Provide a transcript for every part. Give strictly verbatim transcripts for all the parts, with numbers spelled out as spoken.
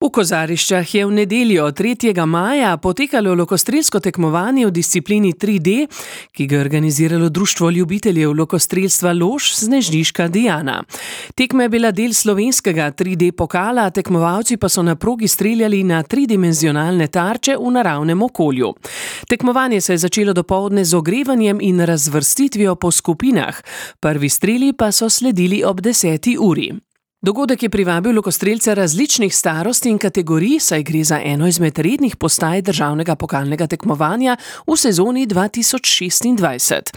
V Kozariščah je v nedeljo tretjega maja potekalo lokostrelsko tekmovanje v disciplini tri D, ki ga je organiziralo Društvo ljubiteljev lokostrelstva Lož Snežniška Diana. Tekma je bila del slovenskega tri D pokala, tekmovalci pa so na progi streljali na tridimenzionalne tarče v naravnem okolju. Tekmovanje se je začelo dopoldne z ogrevanjem in razvrstitvijo po skupinah. Prvi streli pa so sledili ob deseti uri. Dogodek je privabil lokostrelce različnih starosti in kategorij, saj gre za eno izmed rednih postaj državnega pokalnega tekmovanja v sezoni dva tisoč šestindvajset.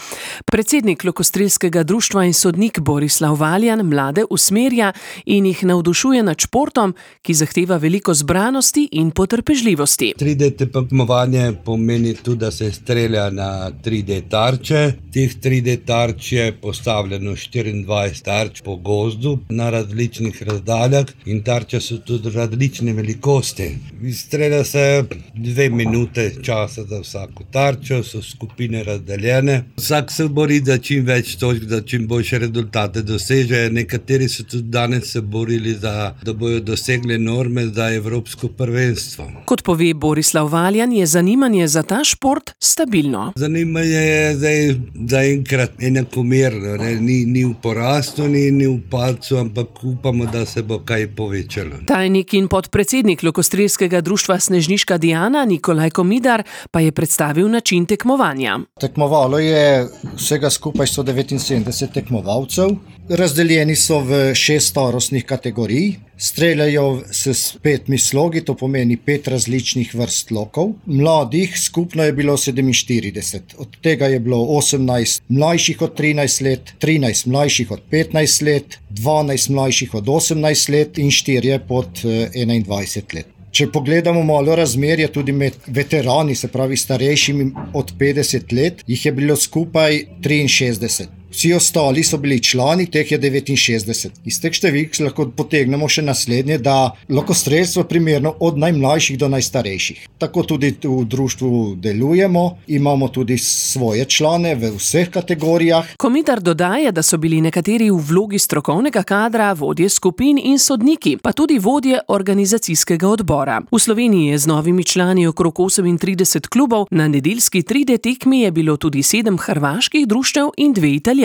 Predsednik lokostrelskega društva in sodnik Borislav Valjan mlade usmerja in jih navdušuje nad športom, ki zahteva veliko zbranosti in potrpežljivosti. tri D tekmovanje pomeni tudi, da se strelja na tri D tarče. Teh tri D tarč je postavljeno štiriindvajset tarč po gozdu na različnih razdaljah in tarče so tudi različne velikosti. Strelja se dve minute časa za vsako tarčo, so skupine razdeljene. Vsak se bori za čim več točk, da čim boljše rezultate doseže. Nekateri so tudi danes se borili, za, da bojo dosegli norme za evropsko prvenstvo. Kot pove Borislav Valjan, je zanimanje za ta šport stabilno. Zanimanje je zdaj zaenkrat enakomerno, ne? Ni, ni v porastu, ni, ni v padcu, ampak upamo, da se bo kaj povečalo. Tajnik in podpredsednik lokostrelskega društva Snežniška Diana Nikolaj Komidar pa je predstavil način tekmovanja. Tekmovalo je vsega skupaj sto devetinsedemdeset tekmovalcev. Razdeljeni so v šest starostnih kategorij. Streljajo s petimi slogi, to pomeni pet različnih vrst lokov. Mladih skupno je bilo sedeminštirideset. Od tega je bilo osemnajst mlajših od trinajst let, trinajst mlajših od petnajst let, dvanajst mlajših od osemnajst let in štirje pod enaindvajset let. Če pogledamo malo razmerje tudi med veterani, se pravi starejšimi od petdeset let, jih je bilo skupaj triinšestdeset. Vsi ostali so bili člani, teh je devetinšestdeset. Iz teh številk lahko potegnemo še naslednje, da lokostrelstvo primerno od najmlajših do najstarejših. Tako tudi v društvu delujemo, imamo tudi svoje člane v vseh kategorijah. Komidar dodaja, da so bili nekateri v vlogi strokovnega kadra, vodje skupin in sodniki, pa tudi vodje organizacijskega odbora. V Sloveniji je z novimi člani okrog osemintrideset klubov, na nedeljski tri D tekmi je bilo tudi sedem hrvaških društev in dve italijanski.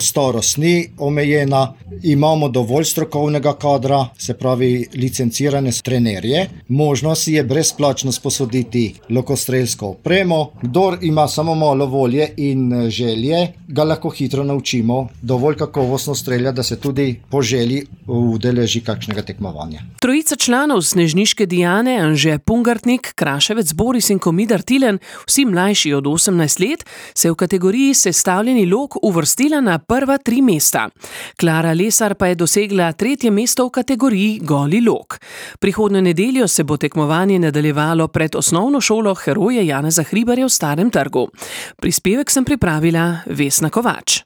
Starost ni omejena, imamo dovolj strokovnega kadra, se pravi licencirane trenerje. Možnost je brezplačno sposoditi lokostrelsko opremo. Kdor ima samo malo volje in želje, ga lahko hitro naučimo dovolj kakovostno strelja, da se tudi po želji udeleži kakšnega tekmovanja. Trojica članov Snežniške Diane, Anže Pungartnik, Kraševec Boris in Komidar Tilen, vsi mlajši od osemnajst let, se v kategoriji sestavljeni lok uvrstila na prva tri mesta. Klara Lesar pa je dosegla tretje mesto v kategoriji goli lok. Prihodnjo nedeljo se bo tekmovanje nadaljevalo pred osnovno šolo Heroje Janeza Hribarja v Starem trgu. Prispevek sem pripravila Vesna Kovač.